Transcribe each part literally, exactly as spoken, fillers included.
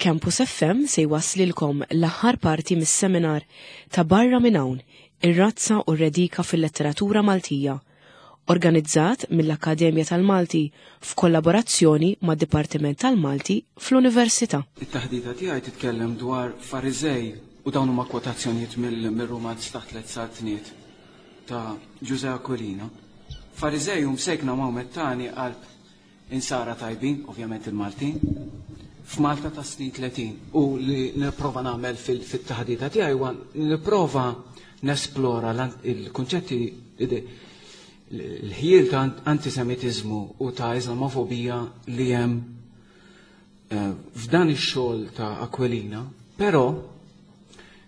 Campus F M se jwasslilkom l-aħħar parti mis-seminar ta' Barra minn hawn, ir-razza u r-redika fil-letteratura Maltija, organizzat mill-Akkademja tal-Malti f'kollaborazzjoni mad-Dipartiment tal-Malti fl-Università. It-taħdita tiegħi titkellem dwar Fariżej u dawn huma kwotazzjonijiet mill-rumanz ta' Tliet Saltniet ta' Ġużè Aquilina. Fariżej u msejkna Mawmettani qalb insara tajbin, ovvjament il-Maltin, f'Malta ta' snin tletin. U li nipprova nagħmel fil-taħdita tiegħi huwa nipprova nesplora il-kunċetti, l-ħjiel ta' antisemitiżmu u ta' Islamofobija li hemm f'dan ix-xogħol ta' Aquilina, però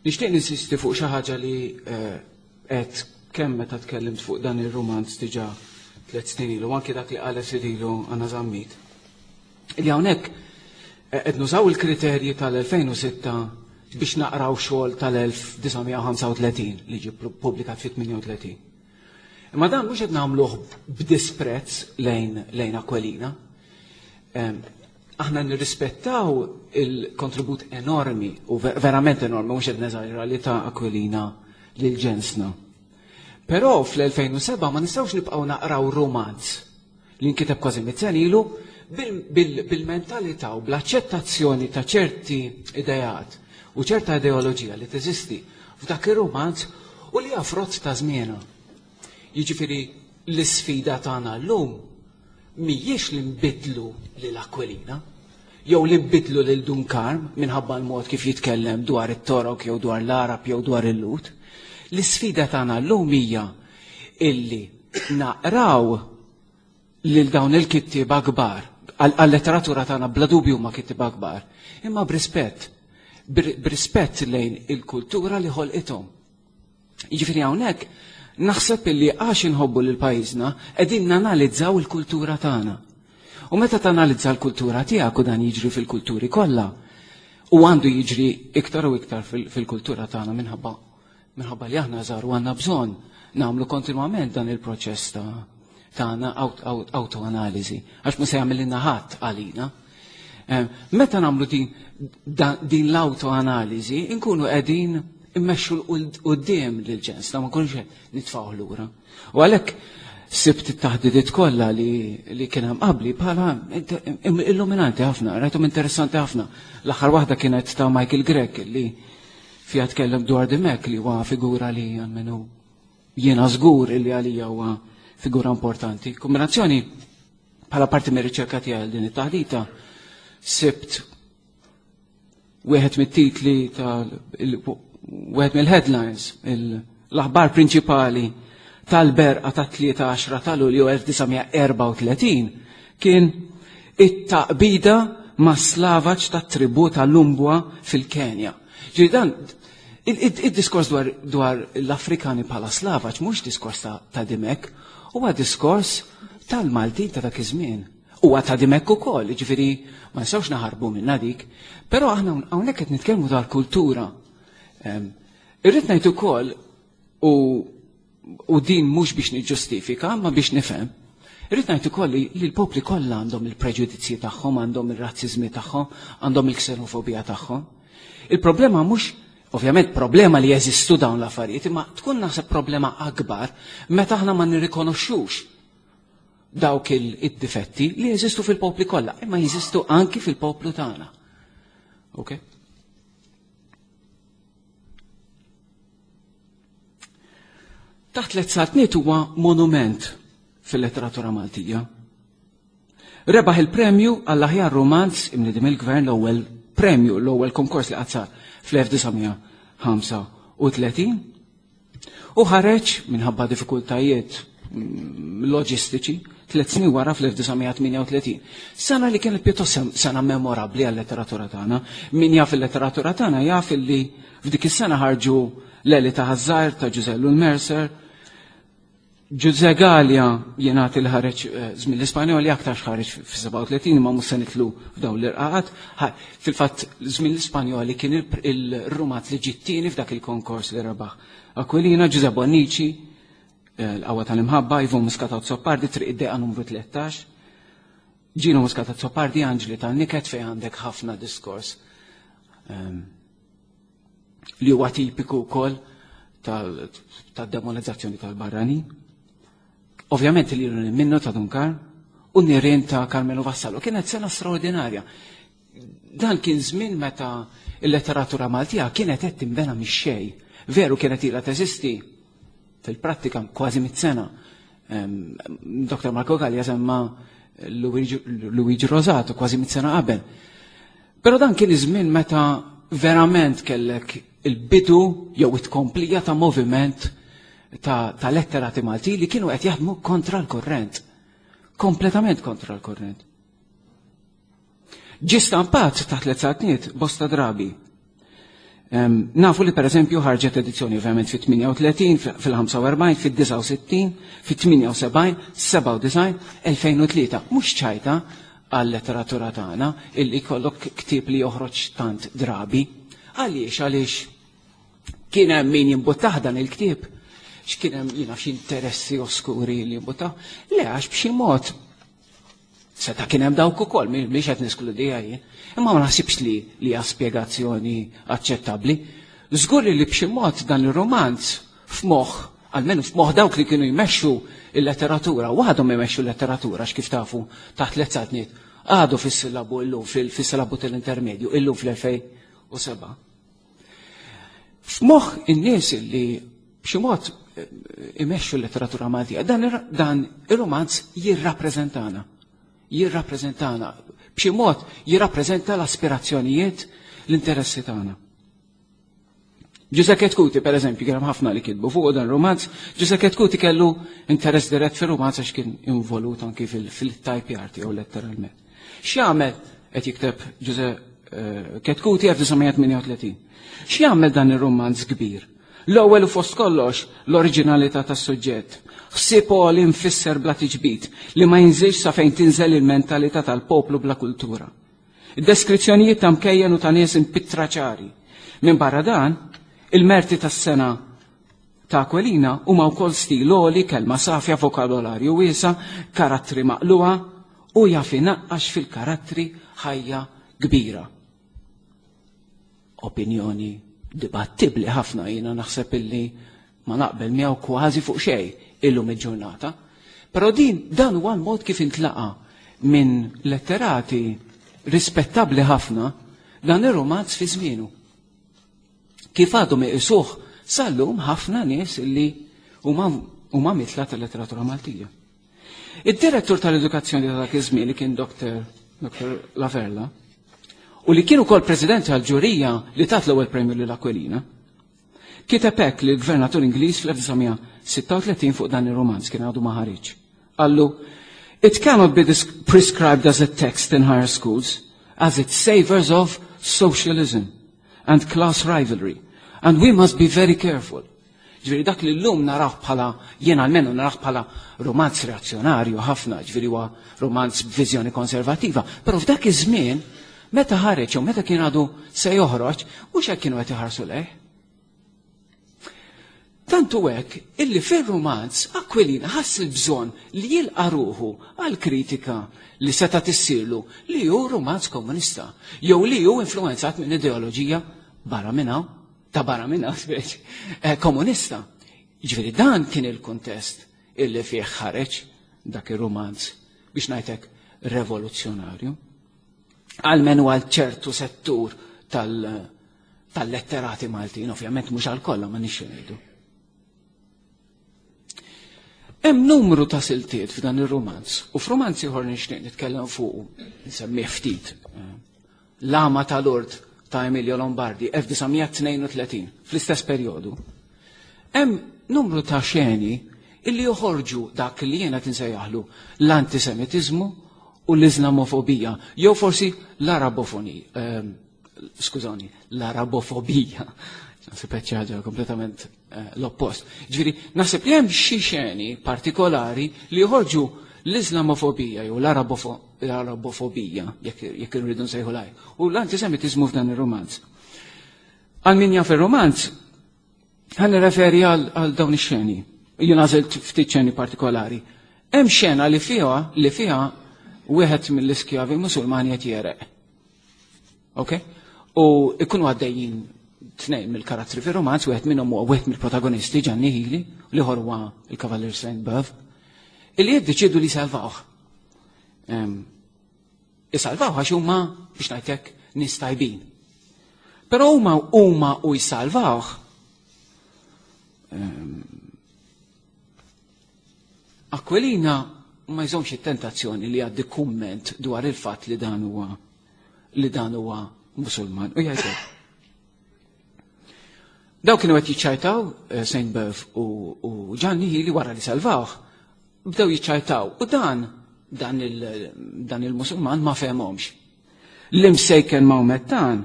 nixtieq ninsisti fuq xi ħaġa li qed kemm meta tkellimt fuq dan ir-rumanz diġà tliet snin ilu, anki dak li qalet ftit ilu Anna Zammit. Li hawnhekk qed nużaw il-kriterji tal-elfejn u sitta biex naqraw xogħol tal-elf disa' mija u ħamsa u tletin li ġie ppubblikat fit-tmienja u tletin. Imma dan mhux qed nagħmluh b'disprezz lejn, lejn Aquilina. Aħna nirrispettaw il-kontribut enormi u verament enormi, mhux qed neżaġera, li ta' Aquilina lil ġensna. Però fl-elfejn u seba' ma nistgħux nibqgħu naqraw romanz li nkiteb kważi mitt sena ilu bil-mentalità u bl-aċċettazzjoni ta' ċerti idejat u ċerta ideoloġija li teżisti f'dak ir-romanz u li hija frott ta' żmienha. Jiġifieri l-isfida tagħna llum mhijiex li nbidlu lil Aquilina jew li nbidlu lil Dun Karm minħabba l-mod kif jitkellem dwar it-Torok jew dwar l-Arab jew dwar il-Lut. L-isfida tagħna llum hija illi naqraw lil dawn il-kittieba kbar, għal-letteratura tagħna bla dubju huma kittieba kbar, imma b'rispett, b'rispett lejn il-kultura li ħolqithom. Jiġifieri hawnhekk naħseb illi għax inħobbu lil pajjiżna qegħdin nanalizzaw il-kultura tagħna. U meta tanalizza l-kultura tiegħek, u dan jiġri fil-kulturi kollha, u għandu jiġri iktar u iktar fil-kultura tagħna minħabba minħabba li aħna żgħar u għandna bżonn nagħmlu kontinwament dan il-proċess ta' tagħna autoanaliżi, għax mhux se jagħmel ħadd għalina. Meta nagħmlu din l-autoanaliżi, inkunu qegħdin immexxu l-quddiem lil ġens, ma nkunux nitfgħu lura. U għalhekk sibt it-taħdidiet kollha li kien hemm qabli bħala illuminanti ħafna, rajthom interessanti ħafna. L-aħħar waħda kienet ta' Michael Grech li fiha tkellem dwar Dimech, li huwa figura li almenu jiena żgur li għalija huwa figura importanti. Kombinazzjoni bħala parti mir-riċerka tiegħi din it-taħdita sibt wieħed mit-titli tal wieħed mill-headlines, l-aħbar prinċipali tal-berqa ta' tlieta għaxra ta' Lulju elf disa' mija erbgħa u tletin kien it-taqbida ma' slavaġ tat-tribù tal-Lumbwa fil-Kenja. Ġifieri dan id-diskors dwar l-Afrikani bħala slavaġ mhux diskors ta' Dimech, huwa diskors tal-Maltin ta' dak iż-żmien. Huwa ta' Dimech ukoll, jiġifieri ma nistgħux naħarbu minnha dik, però aħna hawnhekk qed nitkellmu dwar kultura. Irrid ngħid ukoll, u din mhux biex niġġustifika, ma biex nifhem, irrid ngħid ukoll li l-popli kollha għandhom il-preġudizzji tagħhom, għandhom ir-razziżmi tagħhom, għandhom il-ksenofobija tagħhom. Il-problema mhux, ovvjament problema li jeżistu dawn l-affarijiet, imma tkun naħseb problema akbar meta aħna ma nirrikonoxxux dawk id-difetti li jeżistu fil-popli kollha, imma jeżistu anki fil-poplu tagħna. Ok? Taħt Tliet Saltniet huwa monument fil-letteratura Maltija. Rebaħ il-premju għall-aħjar romanz imnidi mill-gvern, l-ewwel premju, l-ewwel konkors li qatt sar fl-elf disa' mija ħamsa u tletin, u ħareġ minħabba diffikultajiet loġistiċi tliet snin wara fl-elf disa' mija tmienja u tletin. Sena li kienet pjuttost sena memorabbli għal-letteratura tagħna. Min jaf il-letteratura tagħna jaf illi f'dik is-sena ħarġu Leli ta' Ħaż-Żgħir ta' Ġużè Ellul Mercer, Ġużè Galea jingħati li ħareġ żmien l-Ispanjoli, aktar ħareġ fis-sebgħa u tletin, imma mhux se nitlu f'dawn l-irqaqat. Fil-fatt żmien l-Ispanjoli kien il-rumanz li ġie t-tieni f'dak il-konkors li rebaħ Aquilina, Ġużè Bonnici, l-Qawwa tal-Imħabba, Ivo Muscat Azzopardi, Triq id-Deqa numru tlettax, Ġino Muscat Azzopardi, Anġli tan-Niket, fejn għandek ħafna diskors li huwa tipiku wkoll tad-demonizzazzjoni tal-barrani. Ovvjament li minnu ta' Dun Karm u Nirien ta' Karmenu Vassallo. Kienet sena straordinarja. Dan kien żmien meta il-letteratura Maltija kienet qed tinbena mix-xejn. Veru kienet ilha teżisti fil-prattika kważi mit sena. Doktor Marco Gallia semma Luigi Rosato kważi mit sena qabel. Però dan kien iż-żmien meta verament kellek il-bidu jew it-tkomplija ta' moviment ta', ta letterati Malti li kienu qed jaħdmu kontra l-korrent. Kompletament kontra l-korrent. Ġie stampat taħt tliet saltniet bosta drabi. Um, nafu li per eżempju ħarġet edizzjoni ovvjament fit-tmienja u tletin, fil-ħamsa u erbgħin, fid-disgħa u sittin, fit-tmienja u sebgħin, sebgħa u disgħin, elfejn u tlieta. Mhux ċajta għal-letteratura tagħna illi jkollok ktieb li joħroġ tant drabi. Għaliex, għaliex kien hemm min jimbuttah dan il-ktieb, x'kien hemm jiena xi interessi oskuri li jimbuttah. Le, għax b'xi mod seta' kien hemm dawk ukoll, mhix qed neskludija jien. Imma ma naħsibx li li hija spjegazzjoni aċċettabbli. Żgur li b'xi mod dan ir-romanz f'moħħ, almenu f'moħħ dawk li kienu jmexxu il-letteratura, u għadhom jmexxu l-letteratura, għax kif tafu taħt tliet saltniet għadu fis-sillabu illum, fis-sillabu tal-intermedju, illum fl-elfejn u seba'. F'moħħ in-nies li b'xi mod imexxu l-letteratura Maltija, dan ir-, dan ir-romanz jirrappreżentana. Jirrappreżentana, b'xi mod jirrappreżenta l-aspirazzjonijiet, l-interessi tagħna. Giuseppe Chetcuti, per eżempju, kien hemm ħafna li kitbu fuq dan romanz. Giuseppe Chetcuti kellu interess dirett fir-romanz għax kien involut anki fil-type art jew letteralment. X'jagħmel qed jikteb Giuseppe Chetcuti elf disa' mija tmienja u tletin? X'jagħmel dan ir-romanz kbir? L-ewwel u fost kollox l-oriġinalità tas-suġġett. Ħsieb li nfisser bla tiġbid li ma jinżilx sa fejn tinżel il-mentalità tal-poplu bla kultura. Id-deskrizzjonijiet ta' mkejjen u ta' nies impittra ċari. Minn barra dan, il-merti tas-sena ta' Aquilina huma wkoll stil għoli, kelma safja, vokabolarju wiesa, karattri maqluha u jaf inaqqax fil-karattri ħajja kbira. Opinjoni dibattibbli ħafna, jiena naħseb illi ma naqbel miegħu kważi fuq xejn illum il-ġurnata. Però din dan huwa l-mod kif intlaqa minn letterati rispettabbli ħafna dan ir-romanz fi żmienu. Kif għadhom iqisuh sal-lum ħafna nies illi huma huma mitla tal-letteratura Maltija. Id-direttur tal-edukazzjoni ta' dak iż-żmien li kien Doktor, Doktor Laferla, u li kien ukoll president tal-ġurija li tat l-ewwel premju lil Aquilina, kiteb hekk lill gvernatur Ingliż fl-elf disa' mija sitta u tletin fuq dan ir-romanz kien għadu ma ħareġ. Qallu, It cannot be prescribed as a text in higher schools, as it savors of socialism and class rivalry, and we must be very careful. Ġifieri dak li llum naraw bħala, jien almenu naraw bħala romanz reazzjonarju ħafna, ġifieri huwa romanz b'viżjoni konservattiva, però f'dak iż-żmien meta ħareġ u meta kien għadu se joħroġ, mhux hekk kienu qed iħarsu lejh. Tantu hekk illi fir-romanz Aquilina ħass il-bżonn li jilqa' ruħu għal kritika li seta' tissirlu li hu romanz komunista, jew li hu influenzat minn ideoloġija barra minn hawn, ta' barra minn hawn, speċi, eh, komunista. Ġifieri dan kien il-kuntest illi fih ħareġ dak ir-romanz biex ngħidlek revoluzzjonarju. Almenu għal ċertu settur tal-, tal-letterati Maltin, ovvjament mhux għal kollha ma nixxu ngħidu. Hemm numru ta' siltiet f'dan ir-romanz, u f'romanz ieħor nixtieq nitkellem fuq, nsemmieh ftit. L-Għama ta' Lourdes ta' Emilio Lombardi, elf disa' mija tnejn u tletin, fl-istess perjodu. Hemm numru ta' xeni illi joħorġu dak li jiena tinsejjaħlu l-antisemitiżmu u l-Islamofobija, jew forsi l-Arabofoni, ehm, skużani, l-Arabofobija. Naħseb qed xi ħaġa kompletament, eh, l-oppost. Ġifieri, naħseb li hemm xi xeni partikolari li joħorġu l-Islamofobija jew l-Arabofobija, jekk, jekk irridu nsejħu laj, u l-antisemitiżmu f'dan ir-romanz. Għal min jaf ir-romanz, ħa nirreferi għal, għal dawn ix-xeni. Jien għażilt ftit xeni partikolari. Hemm xena li fiha, li fiha wieħed mill-iskjavi Musulmani qed jereq. Ok? U ikunu għaddejjin tnejn mill-karattri fir-romanz, wieħed minnhom huwa wieħed mill-protagonisti Ġanni Hili, u l-ieħor huwa il-Kavallier Saint Beuve, illi jiddeċiedu li salvawh. Isalvawh għax huma biex ngħidlek nies tajbin. Però huma huma u jsalvawh Aquilina ma jżomx it-tentazzjoni li għaddi kumment dwar il-fatt li dan huwa li dan huwa Musulman. U jgħid daw kienu qed jiċċajtaw Saint Beuve u Ġanni Hili wara li salvawh, bdew jiċċajtaw u dan dan il dan il-Musulman ma fehmhomx. L-imsejken Mawmettan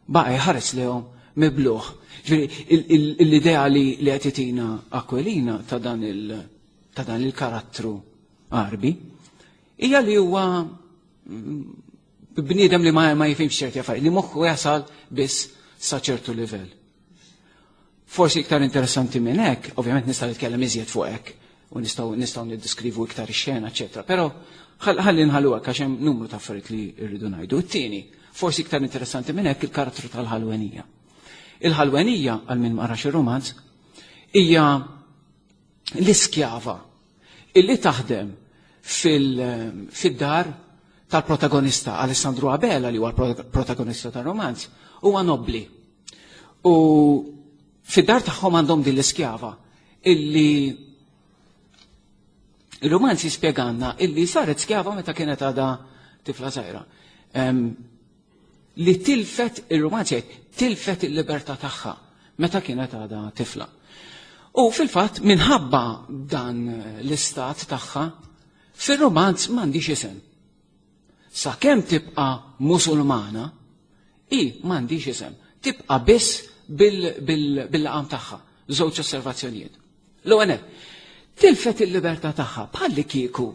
baqa' jħares lehom mibluħ. Ġifieri l-idea li qed itina Aquilina ta' dan il ta' dan il-karattru Għarbi hija li huwa bniedem li ma, ma jifhimx ċerti affarijiet, li moħħu jasal biss sa ċertu livell. Forsi iktar interessanti minn hekk, ovvjament nista' nitkellem iżjed fuq hekk u nistgħu nistgħu niddeskrivu iktar ix-xena, eċetera, però ħalli nħallu hekk għax hemm numru ta' affarijiet li rridu ngħidu. It-tieni, forsi iktar interessanti minn hekk il-karattru tal-ħalwenija. Il-ħalwenija, għal min ma qrax ir-romanz, hija l-iskjava illi taħdem fil-dar tal-protagonista Alessandro Abela, li huwa l-protagonista tal-romanz, huwa nobbli. U fid-dar tagħhom għandhom din l-iskjava illi il-romanz jispjeganna illi saret skjava meta kienet għadha tifla żgħira. Li tilfet il-romanz jgħid tilfet il-libertà tagħha meta kienet għadha tifla. U fil-fatt minħabba dan l-istat tagħha fir-romanz m'għandix isem. Sakemm tibqa' Musulmana, i m'għandix isem, tibqa' biss bil-laqam tagħha. Żewġ osservazzjonijiet. L-ewwel, tilfet il-libertà tagħha bħalli kieku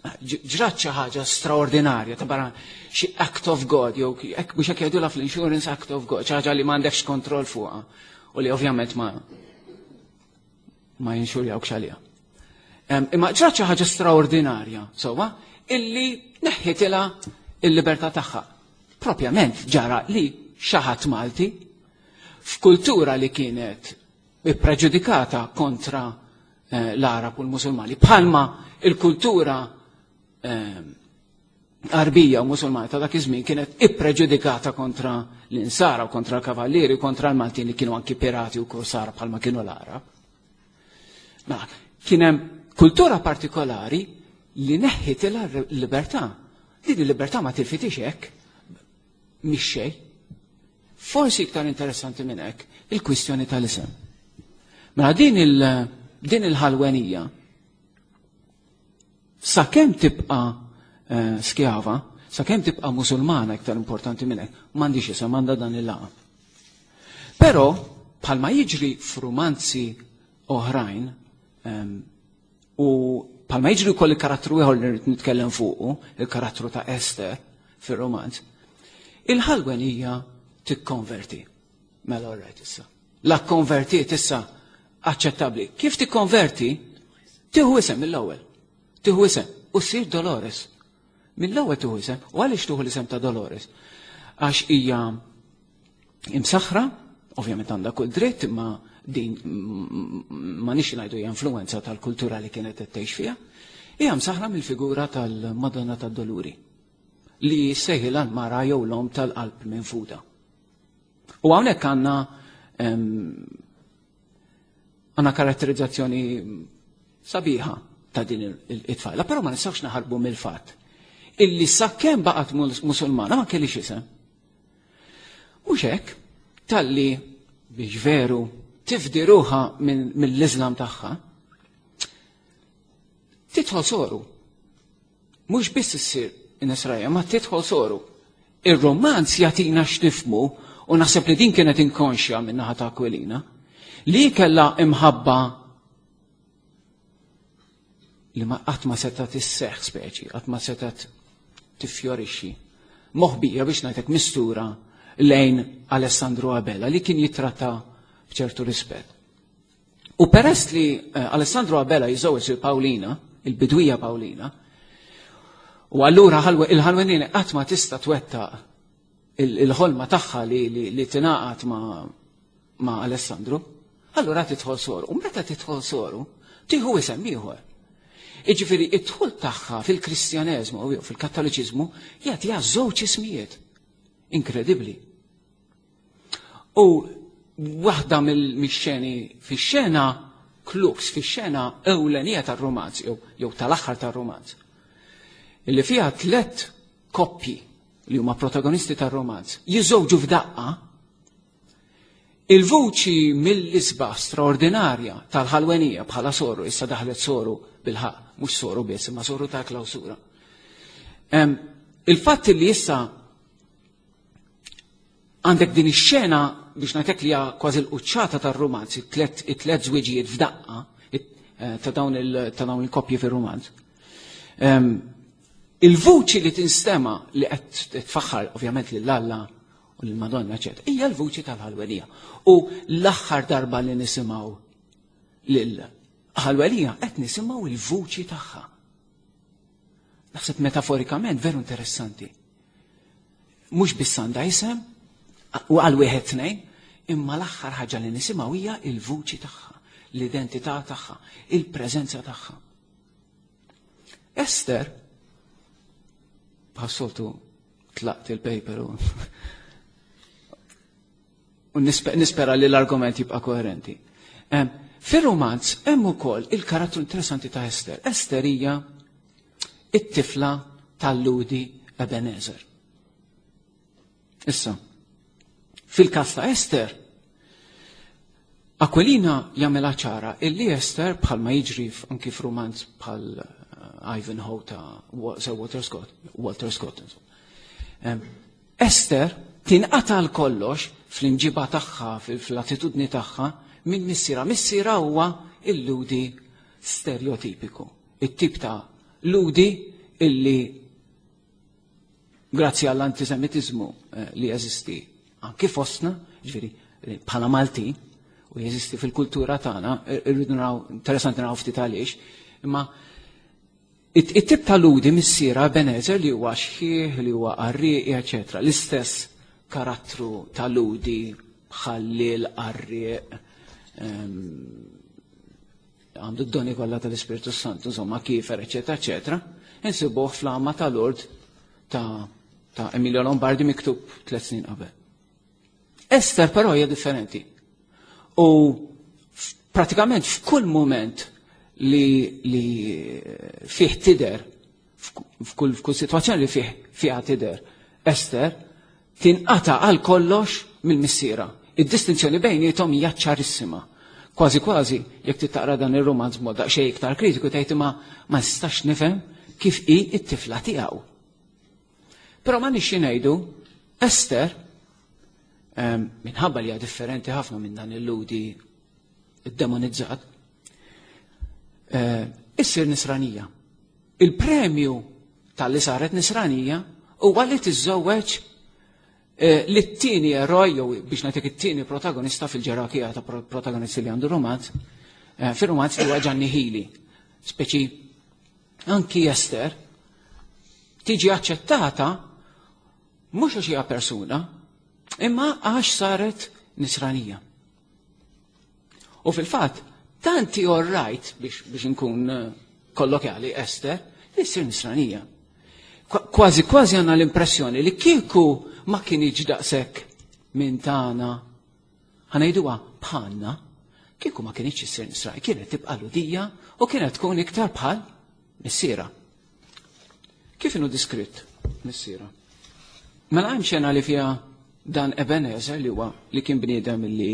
ġrat xi ħaġa straordinarja ta' barra xi act of God, jew hekk biex hekk jgħidulha fl-insurance act of God, xi ħaġa li m'għandekx kontroll fuqha u li ovvjament ma ma jinxurjawkx għaliha. Imma ġrat xi ħaġa straordinarja, sewwa, illi neħħitilha il-libertà tagħha. Propjament ġara li xi ħadd Malti f'kultura li kienet ippreġudikata kontra l-Arab u l-Musulmani, bħalma il-kultura Arbija u Musulmani ta' dak iż-żmien kienet ippreġudikata kontra l-Insara u kontra l-Kavallieri u kontra l-Maltin li kienu anki pirati u korsara bħalma kienu l-Arab. Ma kien hemm kultura partikolari li neħħitilha l-libertà. Din il-libertà ma tilfitix hekk mhix xejn. Forsi iktar interessanti minn hekk il-kwistjoni tal-isem. Mela din il din il-ħalwenija sakemm tibqa' skjava, sakemm tibqa' Musulmana iktar importanti minn hekk, m'għandix isem, għandha dan il-laqam. Però bħalma jiġri f'rumanzi oħrajn u bħalma jiġri wkoll il-karattru ieħor li rrid nitkellem fuqu, il-karattru ta' Esther fir-romanz, il-ħalwenija tikkonverti. Mela all right issa. La konvertiet issa aċċettabbli. Kif tikkonverti? Tieħu isem mill-ewwel. Tieħu isem u ssir Dolores. Mill-ewwel tieħu isem. U għaliex tieħu l-isem ta' Dolores? Għax hija imsaħħra, ovvjament għandha kull dritt, imma din ma nix ngħidu hija influenza tal-kultura li kienet qed tgħix fiha, hija msaħħra mill-figura tal-Madonna tad-Doluri li sejħilha l-mara jew l-om tal-qalb minfuda. U hawnhekk għandna għandna karatterizzazzjoni sabiħa ta' din it-tfajla, però ma nistgħux naħarbu mill-fatt illi sakemm baqgħet Musulmana ma kellix isem. Mhux hekk, talli biex veru tifdi ruħha mill-Iżlam tagħha, tidħol soru. Mhux biss issir Nisranija, ma tidħol soru. Ir-romanz jagħtina x'nifhmu, u naħseb li din kienet inkonxja minn naħa ta' Aquilina, li kellha imħabba li ma qatt ma setgħet isseħħ speċi, qatt ma setgħet tiffjorixxi. Moħbija biex ngħidlek mistura lejn Alessandro Abela li kien jitratta b'ċertu rispett. U peress li Alessandro Abela jiżżewweġ il-Paulina, il-bidwija Paulina, u allura il-ħalwenina qatt ma tista' twettaq il-ħolma tagħha li, li, li tingħaqad ma', ma' Alessandru, allura tidħol soru. U meta tidħol soru, tieħu isem ieħor. Jiġifieri id-dħul tagħha fil-Kristjaneżmu jew fil-Kattoliċiżmu jagħtiha żewġ ismijiet. Inkredibbli. U waħda mill-xeni fix-xena klux fix-xena ewlenija tar-romanz jew jew tal-aħħar tar-romanz. Illi fiha tliet koppji li huma protagonisti tar-romanz jiżżewġu f'daqqa, il-vuċi mill-isbaħ straordinarja tal-ħalwenija bħala soru, issa daħlet soru bil-ħaq, mhux soru biss, imma soru ta' klawsura. Il-fatt li issa għandek din ix-xena biex ngħidlek li hija kważi l-quċċata tar-romanz, it-tliet żwiġijiet f'daqqa ta' dawn il-koppji fir-romanz. Il-vuċi li tinstema li qed tfaħħar ovvjament lil Alla u lil Madonna eċetera, hija l-vuċi tal-ħalwenija. U l-aħħar darba li nisimgħu lil ħalwenija qed nisimgħu il-vuċi tagħha. Naħseb metaforikament veru interessanti. Mhux biss għandha isem u għal wieħed tnejn, imma l-aħħar ħaġa li nisimgħu hija il-vuċi tagħha, l-identità tagħha, il-preżenza tagħha. Ester, bħas-soltu tlaqt il-paper u u nispera li l-argument jibqa' koerenti. Fir-romanz hemm ukoll il-karattru interessanti ta' Ester. Ester hija it-tifla tal-Ludi Ebenezer. Issa, fil-każ ta' Ester, Aquilina jagħmilha ċara illi Ester bħalma jiġri anki f'romanz bħal Ivanhoe ta' Sir Walter Scott, Walter Scott. Ester tinqata' l kollox fl-imġiba tagħha, fl-attitudni tagħha minn missiera. Missiera huwa il-ludi stereotipiku, it-tip ta' ludi illi grazzi għall-antisemitizmu li jeżisti anki fostna, ġifieri bħala Malti, u jeżisti fil-kultura tagħna, irridu naraw, interessanti naraw ftit għaliex, imma it-tip ta' ludi missiera Ebenezer li huwa xħieħ, li huwa qarrieqi, eċetera. L-istess karattru ta' ludi ħallil, qarrieq, għandu d-doni kollha tal-Ispirtu Santu, insomma, kifer, eċetera, eċetera, insibuh fl-għama tal-Lord ta', ta' Emilio Lombardi miktub tliet snin qabel. Ester però hija differenti. U pratikament f'kull moment li, li fih tider, f'kull, f'kull situazzjoni li fih fiha tider, Ester tinqata' għal kollox mill-missiera. Id-distinzjoni bejniethom hija ċarissima. Kważi kważi, jekk taqra dan ir-romanz b'mod daqsxejn iktar kritiku tgħid ma ma nistax nifhem kif hi t-tifla tiegħu. Però ma nixxi ngħidu Ester minħabba li hija differenti ħafna minn dan il-ludi ddemonizzat, issir nisranija. Il-premju tal-li saret nisranija huwa li tiżżewweġ li t-tieni eroj, jew biex nagħtik it-tieni protagonista fil-ġerarkija ta' protagonisti li għandu romanz, fir-romanz li huwa Ġanni Ħili. Speċi anki Ester tiġi aċċettata mhux għax hija persuna, imma għax saret nisranija. U fil-fatt, tanti all right biex, biex nkun kollokjali Ester, li ssir nisranija. Kważi kważi għandna l-impressjoni li kieku ma kienx daqshekk minn tagħna, ħa ngħiduha bħalna, kieku ma kienx issir nisranija, kienet tibqa' ludija u kienet tkun iktar bħal missiera. Kif inhu diskritt missiera? Mela hemm xena li fiha dan Ebenezer li huwa li kien bniedem li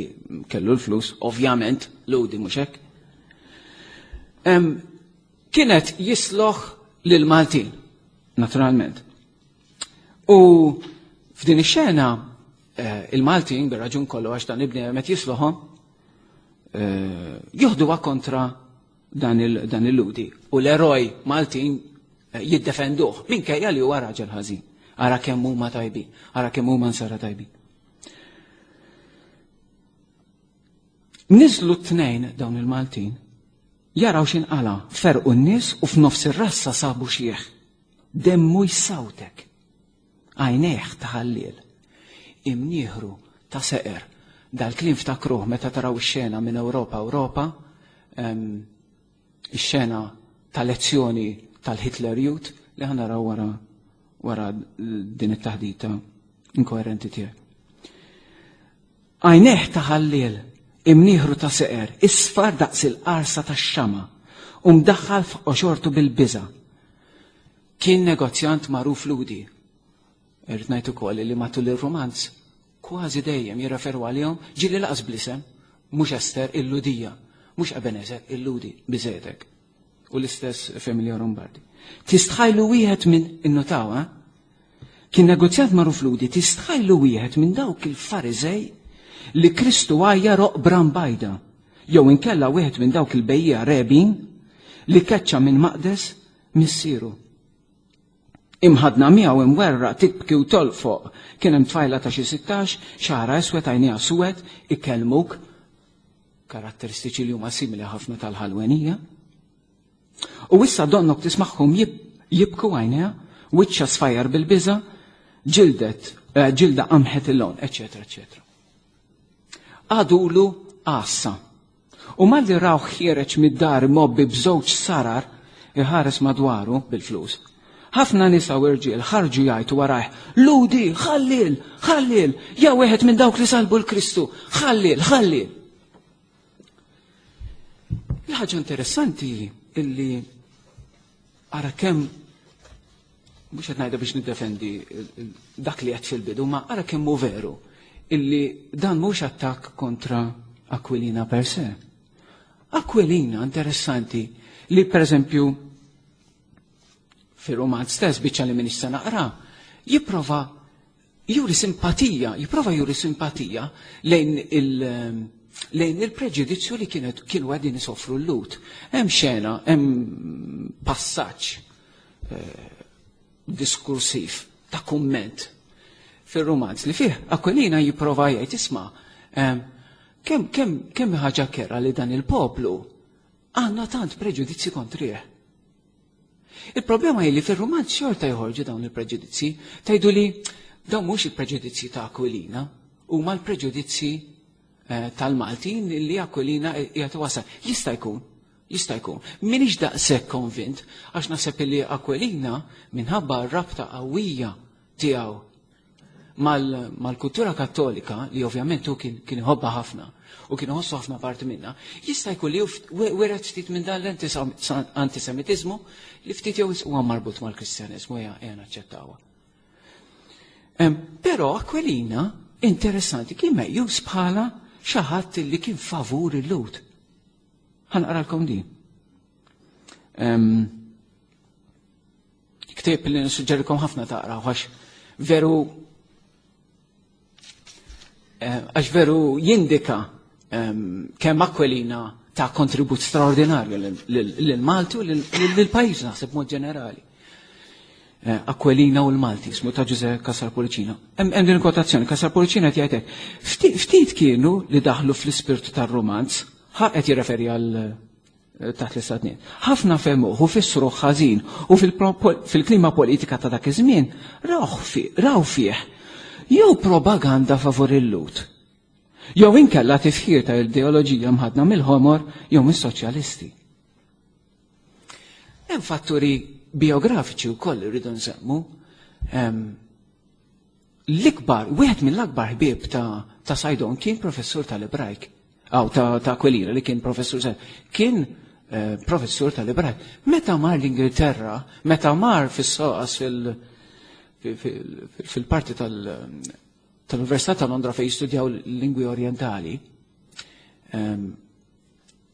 kellu l-flus, ovvjament, ludi mhux hekk. Kienet jisloħ lil Maltin, naturalment. U f'din ix-xena il-Maltin bir-raġun kollu għax dan ibni qed jisloħhom joħduha kontra dan il-ludi. U l-eroj Maltin jiddefenduh minkejja li huwa raġel ħażin. Ara kemm huma tajbin, ara kemm huma nsara tajbin. Niżlu t-tnejn dawn il-Maltin, jaraw x'inqala, ferqu n-nies u f'nofs ir-rassa sabu xieħ. Demmu jsawtek, għajnejh taħallil. Imnieħru ta' seqer. Dal-kliem ftakruh meta taraw ix-xena minn Ewropa Ewropa, ix-xena ta' lezzjoni tal-Hitler Youth li ħa naraw wara wara din it-taħdita inkoerenti tiegħek. Għajnejh ta' ħalliel, imnieħru ta' seqer, isfar daqs il-qarsa tax-xama, u mdaħħal f'qoxortu bil-biża. Kien negozjant magħruf Lhudi. Irrid ngħid ukoll li matul ir-romanz kważi dejjem jirreferu għalihom ġieli lanqas bl-isem, mhux Ester il-Lhudija, mhux Ebenezer il-Lhudi biżejtek. U l-istess Familja Lombardi. Tistħajlu wieħed minn innutaw, eh? Kien negozjant magħruf Lhudi, tistħajlu wieħed minn dawk il-Fariżej li Kristu għajjar oqbra mbajda, jew inkella wieħed minn dawk il-bejjiegħa rebin li keċċa minn maqdes missieru. Imħadna miegħu imwerra tibki u tolfoq kien hemm tfajla ta' xi sittax, xagħarha iswed għajnejha suwed, ikellmuk karatteristiċi li huma simili ħafna tal-ħalwenija. U issa donnok tismagħhom jibku għajnejha, wiċċha sfajjar bil-biża, ġildet, eh, ġilda qamħet il-lon, eċetera, eċetera. Għadulu għassa. U malli raw ħiereġ mid-dar mgħobbi b'żewġ sarar iħares madwaru bil-flus. Ħafna nisa u irġiel ħarġu jgħajtu warajh, Lhudi, ħalliel, ħalliel, ja wieħed minn dawk li salbu l-Kristu, ħalliel, ħalliel. Il-ħaġa interessanti illi ara kemm mhux qed ngħidha biex niddefendi dak li qed fil-bidu, ma ara kemm hu veru illi dan mhux attakk kontra Aquilina per se. Aquilina interessanti li per eżempju fir-romanz stess biċċa li minix se naqra, jipprova juri simpatija, jipprova juri simpatija lejn il- lejn il-preġudizzju li kienet kienu qegħdin isofru l-Lhud. Hemm xena, hemm passaġġ eh, diskursiv ta' kumment fir-romanz li fih Aquilina jipprova jgħid isma' kemm kemm kemm ħaġa kerha li dan il-poplu għandna tant preġudizzi kontrih. Il-problema hi li fir-romanz xorta joħorġu dawn il-preġudizzi, tgħidu li dawn mhux il-preġudizzi ta' Aquilina, huma l-preġudizzi eh, tal-Maltin li Aquilina qiegħed wasal. Jista' jkun, jista' jkun. Minix daqshekk konvint għax naħseb li Aquilina minħabba r-rabta qawwija tiegħu mal-kultura kattolika li ovvjament hu kien kien iħobbha ħafna u kien iħossu ħafna parti minna, jista' jkun li wiret ftit minn dan l-antisemitizmu li ftit jew huwa marbut mal-Kristjaneżmu hija naċċettawha. Però Aquilina interessanti kien meqjus bħala xi ħadd li kien favur il-Lhud. Ħa naqralkom din. Ktieb li nissuġġerikom ħafna taqraw għax veru għax veru jindika kemm Aquilina ta' kontribut straordinarju lil-Malti u lil-pajjiż naħseb mod ġenerali. Aquilina u l-Malti, ismu ta' Ġuże Cassar Pullicino. Hemm din kwotazzjoni, Cassar Pullicino qed jgħid hekk. Ftit kienu li daħlu fl-ispirtu tar-romanz, ħa qed jirreferi għal taħt l-istat. Ħafna fehmuh u fissru ħażin u fil-klima politika ta' dak iż-żmien raw fih jew propaganda favur il-Lhud. Jew inkella tifħir ta' ideoloġija mħadna mill-ħomor jew mis-soċjalisti. Hemm fatturi biografiċi wkoll irridu nsemmu. L-ikbar, wieħed mill-akbar ħbieb ta', ta Saydon kien professur tal-Ebrajk. Aw ta', ta' Aquilina li kien professur kien eh, professur tal-Ebrajk. Meta mar l-Ingilterra, meta mar fis-SOAS fil- fil-parti tal-Università ta' Londra fejn jistudjaw lingwi orientali,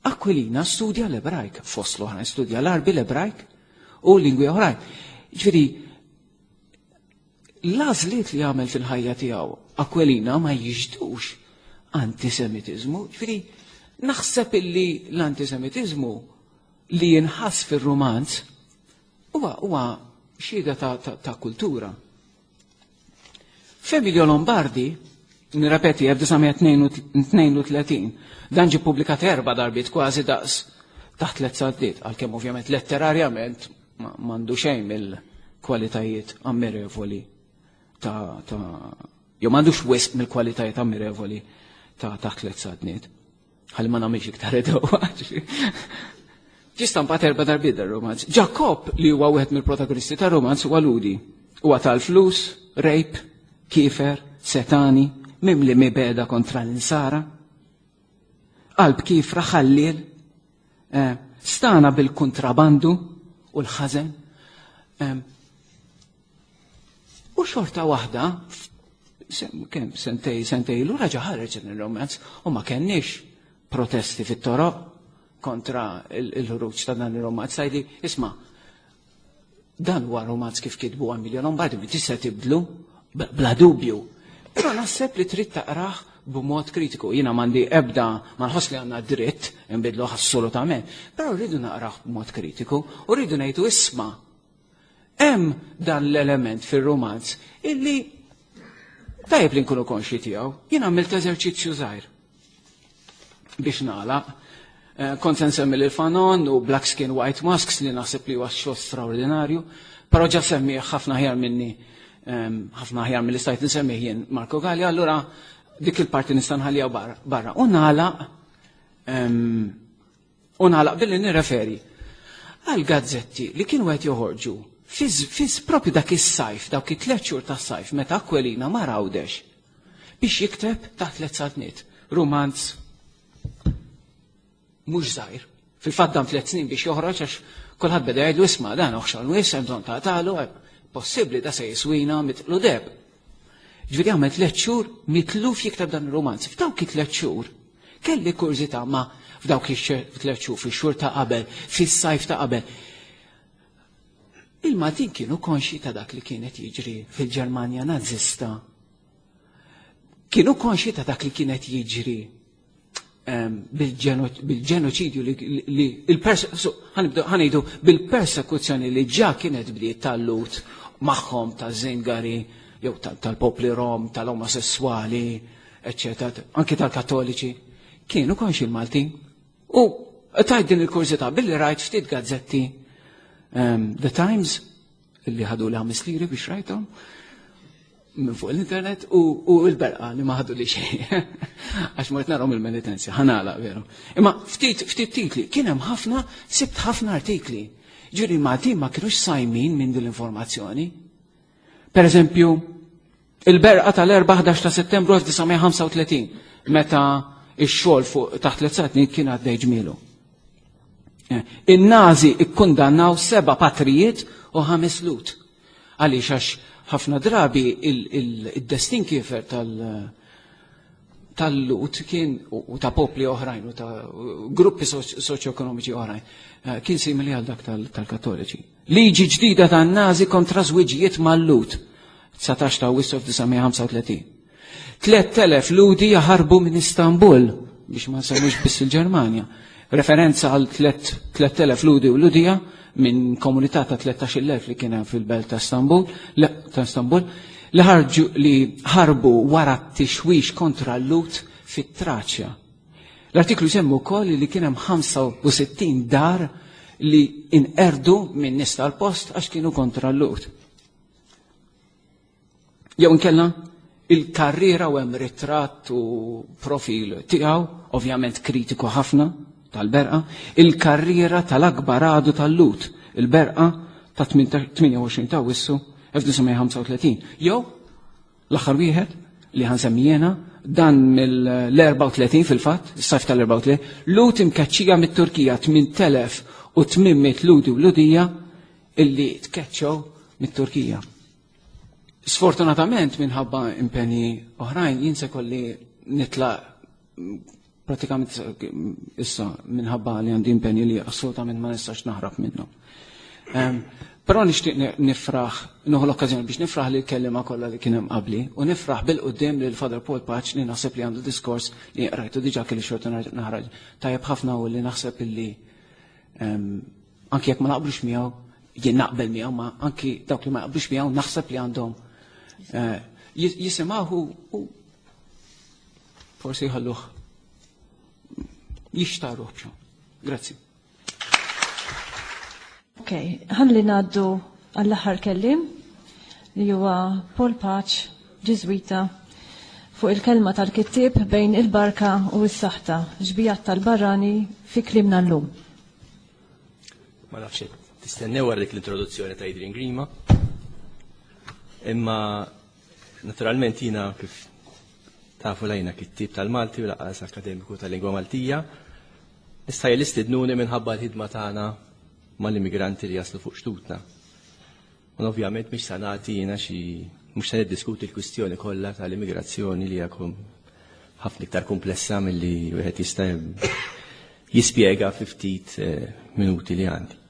Aquilina studja l-Ebrajk, fost l-oħrajn studja l-Arbi, l-Ebrajk u lingwi oħrajn. Ġifieri, l-għażliet li għamel fil-ħajja tiegħu Aquilina ma jiġdux antisemitizmu. Ġifieri, naħseb illi l-antisemitizmu li jinħass fir-romanz huwa huwa xhieda ta', ta, ta' kultura. F'Emilio Lombardi, nirrepeti, elf disa' mija tnejn u tletin, dan ġie publikat erba' darbiet kważi daqs taħt tliet saltniet, għalkemm ovvjament letterarjament m'għandu xejn mill-kwalitajiet ammirevoli ta', ta Jew m'għandux wisq mill-kwalitajiet ammirevoli ta' Taħt Tliet Saltniet. Ħalli ma nagħmilx iktar edewa. Ġie stampat erba' darbiet dar-romanz. Ġakob, li huwa wieħed mill-protagonisti tar-romanz, huwa Lhudi. Huwa tal-flus, rejp, kifer, setani, mimli mibegħda kontra l-insara. Qalb kifra, ħalliel, eh, stana bil-kontrabandu u l-ħażen. U xorta waħda, kemm sentej, sentej, l raġa ħareġ il-romanz u ma kenniex protesti fit-toroq kontra il-ħruġ ta' dan il-romanz. Tajdi, isma', dan huwa romanz kif kitbu Emilio Lombardi, mi tista' tibdlu, bla dubju. Però naħseb li trid taqrah b'mod kritiku. Jiena m'għandi ebda, ma nħoss li għandna dritt nbidluh assolutament, però rridu naqrah b'mod kritiku u rridu ngħidu, isma', hemm dan l-element fir-romanz illi tajjeb li nkunu konxi tiegħu. Jiena għamilt eżerċizzju żgħir biex nagħlaq. Eh, kont se nsemmi lil Fanon u Black Skin White Masks, li naħseb li huwa xogħol straordinarju, però ġa semmi ħafna ħjar minni, ħafna ħjar mill stajt nsemmi jien Marco Gallia, allura dik il-parti nista' nħallija barra. U nagħlaq u nagħlaq billi nirreferi għal gazzetti li kienu qed joħorġu fiż propju dak is-sajf, dawk it-tliet xhur tas-sajf meta Aquilina mar Għawdex biex jikteb Taħt Tliet Saltniet, rumanz mhux żgħir. Fil-fatt dam tliet snin biex joħroġ għax kulħadd beda jgħidlu, isma', dan oħxon wis, hemm bżonn tagħtalu, possibbli da se jiswina mitqlu deheb. Ġifieri għamel tliet xhur mitluf jikteb dan ir-romanz. F'dawk it-tliet xhur kelli kurżità, ma f'dawk it-tliet xhur, fix-xhur ta' qabel, fis-sajf ta' qabel. Il-Maltin kienu konxi ta' dak li kienet jiġri fil-Ġermanja nazista. Kienu konxi ta' dak li kienet jiġri bil-ġenoċidju li ħa ngħidu bil-persekuzzjoni li ġa kienet bdiet tal-Lhud magħhom, ta' Zingari, jew tal-popli Rom, tal-omosessuali, eccetera, anki tal-Kattoliċi. Kienu konxi l-Maltin. U tajt din il-kurżità billi rajt ftit gazzetti, The Times, li ħadu li ħames liri biex rajthom minn fuq l-internet, u l-Berqa li ma ħadu li xejn. Għax mort narahom il-Melitensia, ħa nagħlaq veru. Imma ftit ftit titli, kien hemm ħafna, sibt ħafna artikli. Ġifieri Maltin ma kienux sajmin minn din l-informazzjoni. Per eżempju, il-Berqa tal-erbatax ta' settembru elf disa' mija ħamsa u tletin, meta ix-xogħol fuq Taħt Tliet Saltniet kien għaddej ġmielu. Eh, In-Nazi ikkundannaw seba' patrijiet u ħames Lhud. Għaliex? Għax ħafna drabi il-destin kiefer tal- tal-Lhud kien u ta' popli oħrajn u ta' gruppi soċjoekonomiċi oħrajn eh, kien simili għal dak tal-Kattoliċi. Liġi ġdida tan-Nazi kontra żwiġijiet mal-Lhud, dsatax ta' Awwissu elf disa' mija ħamsa u tletin. tlett elef Lhudi jaħarbu minn Istanbul, biex ma nsemmux biss il-Ġermanja. Referenza għal tlett elef Lhudi u Lhudija minn komunità ta' tlettax-il elf li kien hemm fil-belt ta' Istanbul, ta' Istanbul, li ħarġu li ħarbu wara t-tixwix kontra l-Lhud fit-Traċja. L-artiklu jsemmu wkoll li kien hemm ħamsa u sittin dar li inqerdu minn nies tal-post għax kienu kontra l-Lhud. Jew inkella il-karriera, u hemm ritratt u profil tiegħu, ovvjament kritiku ħafna, tal-Berqa, il-karriera tal-akbar għadu tal-Lhud, il-Berqa ta' tmienja u għoxrin ta' Awwissu elf disa' mija ħamsa u tletin. Jew l-aħħar wieħed li ħa nsemmi jiena, dan mill-erbgħa u tletin fil-fatt, is-sajf tal-erbgħa u tletin, Lhud imkeċċija mit-Turkija, tmint elef u tmien mitt Lhudi u Lhudija illi tkeċċew mit-Turkija. Sfortunatament, minħabba impenji oħrajn, jien se kolli nitlaq pratikament issa minħabba li għandi impenji li assolutament ma nistax naħrab minnhom. Però nixtieq nifraħ, nieħu l-okkażjoni biex nifraħ li l-kellima kollha li kien hemm qabli u nifraħ bil-quddiem lil Father Paul Pace, li naħseb li għandu diskors li rajtu diġà, kelli xorta naħraġ tajjeb ħafna u li naħseb illi anki jekk ma naqblux miegħu, jien naqbel miegħu, ma anki dawk li ma naqblux miegħu naħseb li għandhom eh, jisimgħu u forsi jħalluh jixtaruh b'xo. Grazzi. Ok, ħalli ngħaddu għall-aħħar kellim li huwa Paul Pace, Ġiżwita. fuq il-kelma tal-kittieb bejn il-barka u s-saħta, xbijat tal-barrani fi kliemna llum. Ma nafx tistennew wara dik l-introduzzjoni ta' Adrian Grima. Imma naturalment jiena kif tafu lajna kittieb tal-Malti u lanqas akademiku tal-lingwa Maltija. Nista' jistidnuni minħabba l-ħidma tagħna mal-immigranti li jaslu fuq xtutna. U ovvjament mhix se nagħti jiena xi mhux se niddiskuti l-kwistjoni kollha tal-immigrazzjoni li hija ħafna iktar komplessa milli wieħed jista' jispjega fi ftit minuti li għandi.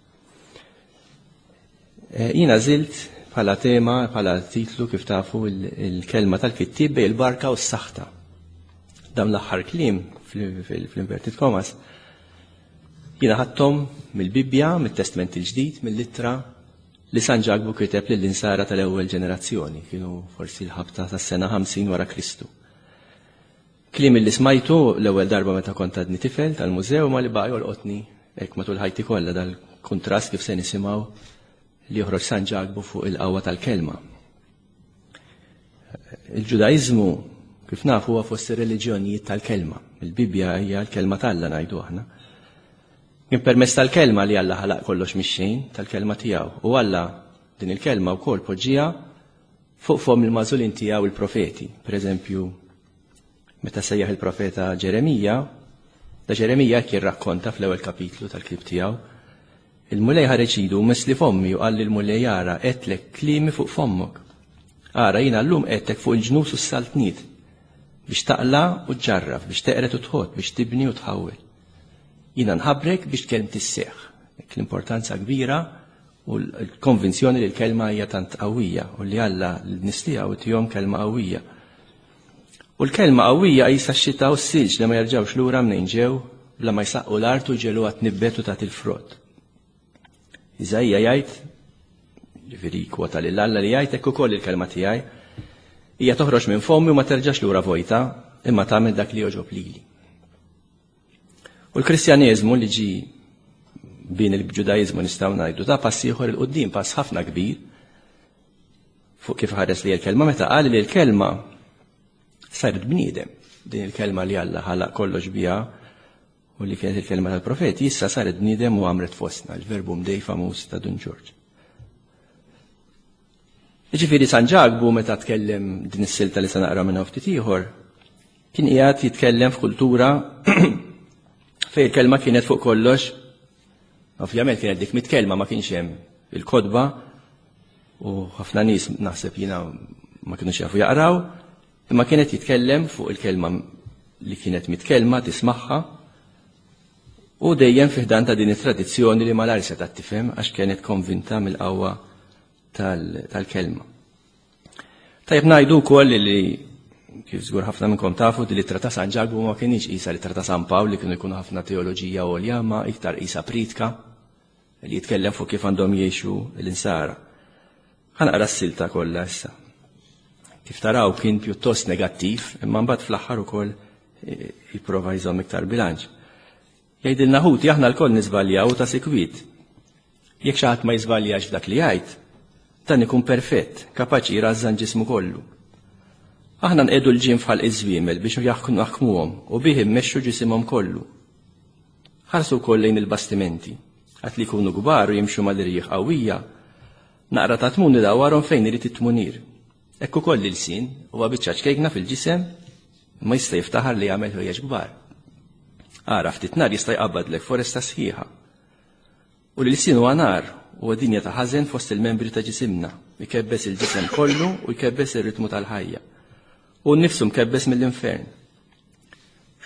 Jiena għażilt bħala tema, bħala titlu kif tafu il-kelma tal-kittieb bejn il-barka u s-saħta. Dawn l-aħħar kliem fl-inverted commas jiena ħadthom mill-Bibbja, mit-Testament il-Ġdid, mill-ittra li San Ġakbu kiteb lill-insara tal-ewwel ġenerazzjoni, kienu forsi l-ħabta tas-sena ħamsin wara Kristu. Kliem li smajtu l-ewwel darba meta kont għadni tifel tal-mużew ma li baqa' jolqotni hekk matul ħajti kollha dal-kuntrast kif se nisimgħu li joħroġ San Ġakbu fuq il-qawwa tal-kelma. Il-Ġudaiżmu kif nafu huwa fost ir-reliġjonijiet tal-kelma. Il-Bibbja hija l-kelma t'Alla ngħidu aħna. Kien permezz tal-kelma li Alla ħalaq kollox mix-xejn, tal-kelma tiegħu. U Alla din il-kelma wkoll poġġiha fuq fomm il-magħżulin tiegħu il-profeti. Per eżempju, meta sejjaħ il-profeta Ġeremija, da Ġeremija kien rakkonta fl-ewwel kapitlu tal-ktieb tiegħu, il-Mulej ħareġ idu u messli fommi u qal lill-Mulej ara qedtlek kliemi fuq fommok. Ara jiena llum qedtek fuq il-ġnus u s-saltniet biex taqla u tġarraf, biex teqret u tħott, biex tibni u tħawwel. Jiena nħabrek biex kelmti sseħħ. L-importanza kbira u l-konvinzjoni li l-kelma hija tant qawwija u li Alla l-nies tiegħu tihom kelma qawwija. U l-kelma qawwija qisha x-xita u s-silġ li ma jerġgħux lura mnejn ġew bla ma jsaqqu l-art u jġegħluha tnibbet u tagħti l-frott. Iżaija jgħid, ġifieri kwota lil Alla li jgħid hekk ukoll il-kelma tiegħi, hija toħroġ minn fommi u ma terġax lura vojta, imma tagħmel dak li jogħġob lili. U l-Kristjaneżmu li ġi bin il-Ġudaiżmu nistgħu ngħidu ta' pass ieħor 'il quddiem, pass ħafna kbir fuq kif ħares li l-kelma meta qal li l-kelma saret bniedem. Din il-kelma li Alla ħalaq kollox biha u li kienet il-kelma tal-profeti, issa saret bniedem u għamret fostna, il-verbum dei famuż ta' Dun Ġorġ. Jiġifieri San Ġakbu meta tkellem din is-silta li se naqra minnha ftit ieħor, kien qiegħed jitkellem f'kultura fejn il-kelma kienet fuq kollox, ovvjament kienet dik mitkellma ma kienx hemm il-kotba u ħafna nies naħseb jiena ma kinux jafu jaqraw, imma kienet jitkellem fuq il-kelma li kienet mitkellma tismagħha u dejjem fi ħdan ta' din it-tradizzjoni li malajr setgħet tifhem għax kienet konvinta mill-qawwa tal-kelma. Tajjeb ngħidu wkoll li kif żgur ħafna minnkom tafu din l-ittra ta' San Ġakbu ma kienx qisha l-ittra ta' San Pawl li kienu jkunu ħafna teoloġija għolja, ma iktar qisha pritka li jitkellem fuq kif għandhom jgħixu l-insara. Ħa naqra s-silta kollha issa. Kif taraw kien pjuttost negattiv, imma mbagħad fl-aħħar ukoll jipprova jżomm iktar bilanċ. Jgħidilna ħuti aħna lkoll niżbaljaw ta' sikwit. Jekk xi ħadd ma jiżbaljax f'dak li jgħid, dan ikun perfett, kapaċi jrażżan ġismu kollu. Aħna nqegħdu l-ġim f'ħalq iż-żwiemel biex jaħkmuhom u bih immexxu ġisimhom kollu. Ħarsu wkoll lejn il-bastimenti, għad li jkunu kbar u jimxu mal-irjieħ qawwija, naqra ta' tmun idawwarhom fejn irid it-tmunir. Hekk ukoll l-ilsien huwa biċċa ċkejkna fil-ġisem ma jista' jiftaħar li jagħmel ħwejjeġ kbar. Ara ftit nar jista' jqabbadlek foresta sħiħa. U l-ilsien huwa nar huwa dinja ta' ħażen fost il-membri ta' ġisimna, ikebbes il-ġisem kollu u jkebbes ir-ritmu tal-ħajja. U nnifsu mkebbes mill-infern.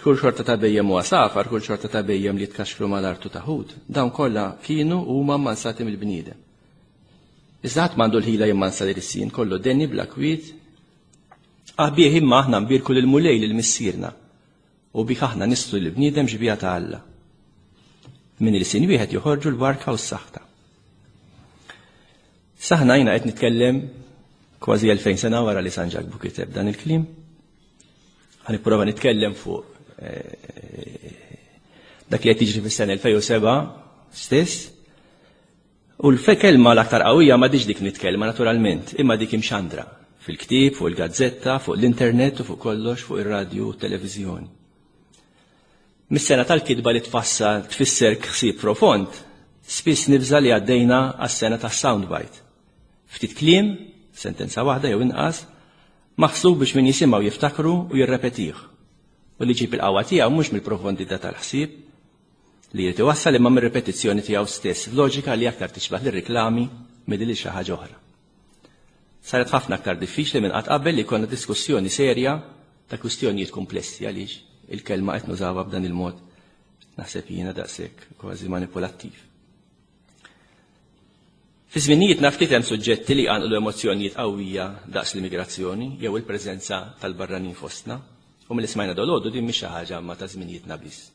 Kull xorta ta' bhejjem huwa safar, kull xorta ta' bhejjem li jitkaxkru mal-artu ta' ħut, dawn kollha kienu u huma mmansati mill-bniedem. Iżda ħadd m'għandu l-ħila jimmansa l-ilsien, kollu deni bla kwiet. Aħbieħ imma aħna nbierku lill-Mulej lil missierna u bih aħna nistru lill-bniedem xbieha ta' Alla. Minn ilsien wieħed joħorġu l-barka u s-saħta. Saħna jiena qed nitkellem kważi elfejn sena wara li San Ġakbu kiteb dan il-kliem. Ħa nipprova nitkellem fuq dak li qed jiġri fis-sena elfejn u seba' stess. U l-kelma l-aktar qawwija ma diġ dik nitkellma naturalment, imma dik imxandra Fil-ktieb, fuq il-gazzetta, fuq l-internet u fuq kollox fuq ir-radju u t-televiżjoni. Mis-sena tal-kitba li tfassal tfisser ħsieb profond, spiss nibża li għaddejna għas-sena tas-soundbite. Ftit kliem, sentenza waħda jew inqas, maħsub biex min jisimgħu jiftakru u jirrepetih. U li ġib il-qawwa tiegħu mhux mill-profondità tal-ħsieb li jrid iwassal imma mir-ripetizzjoni tiegħu stess, loġika li aktar tixbaħ lir-riklami milli lil xi ħaġa oħra. Saret ħafna aktar diffiċli minn qatt qabel li jkollna diskussjoni serja ta' kwistjonijiet komplessi għaliex il-kelma qed nużawha b'dan il-mod naħseb jiena daqshekk kważi manipulattiv. Fi żminijietna ftit hemm suġġetti li jqanqlu emozzjonijiet qawwija daqs l-immigrazzjoni jew il-preżenza tal-barranin fostna, u milli smajna dalgħodu din mhix xi ħaġa ma ta' żminijietna biss.